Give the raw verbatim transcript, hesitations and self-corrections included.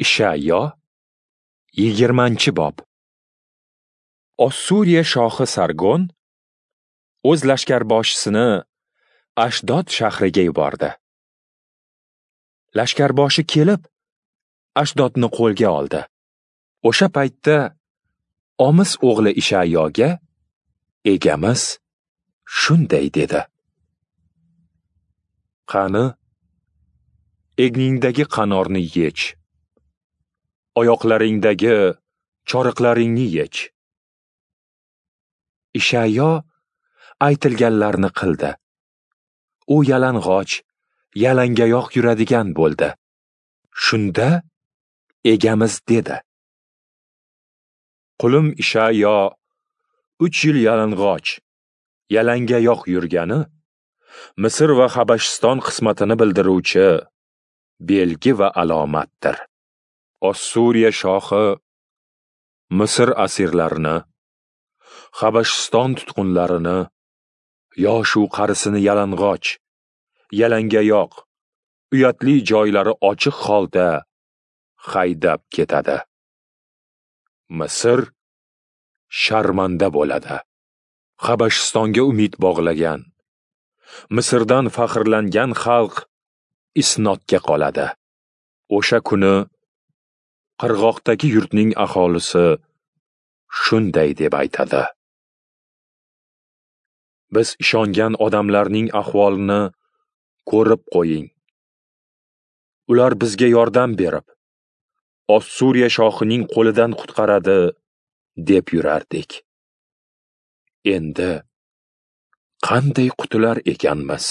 Ishayo yigirmanchi bob. Ossuriya shohi Sargon o'z lashkarboshisini Ashdod shahriga yubordi. Lashkarboshi kelib Ashdodni qo'lga oldi. O'sha paytda Omis o'g'li Ishayoga Egamiz shunday dedi: Qani, egningdagi qanorni yech, oyoqlaringdagi choriqlaringni yech. Ishayo aytilganlarni qildi. U yalang'och, yalangayoq yuradigan bo'ldi. Shunda Egamiz dedi: Qulim Ishayo uch yil yalang'och, yalangayoq yurgani Misr va Habashiston qismatini bildiruvchi belgi va alomatdir. Ossuriya shohi Misr asirlarini, Habashiston tutqunlarini, yoshu qarisini yalang'och, yalangayoq, uyatli joylari ochiq holda haydab ketadi. Misr sharmanda bo'ladi. Habashistonga umid bog'lagan, Misrdan faxrlangan xalq isnodga qoladi. O'sha kuni qirg'oqdagi yurtning aholisi shunday deb aytadi: Biz ishongan odamlarning ahvolini ko'rib qo'ying. Ular bizga yordam berib, Ossuriya shohining qo'lidan qutqaradi deb yurardik. Endi qanday qutular ekanmiz?